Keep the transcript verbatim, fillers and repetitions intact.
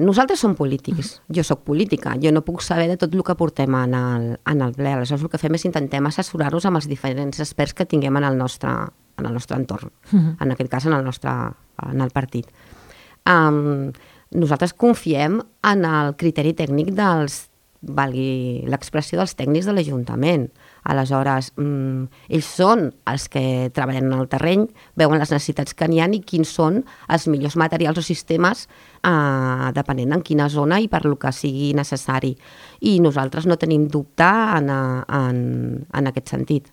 Nosaltres som polítics, jo sóc política, jo no puc saber de tot el que portem en el, en el ple. Aleshores el que fem és intentem assessorar-nos amb els diferents experts que tinguem en el nostre, en el nostre entorn, uh-huh. en aquest cas en el nostre en el partit. Um, nosaltres confiem en el criteri tècnic dels, valgui l'expressió, dels tècnics de l'Ajuntament. Aleshores, mm, ells són els que treballen en el terreny, veuen les necessitats que n'hi ha i quins són els millors materials o sistemes eh, depenent en quina zona i per lo que sigui necessari. I nosaltres no tenim dubte en, en, en aquest sentit.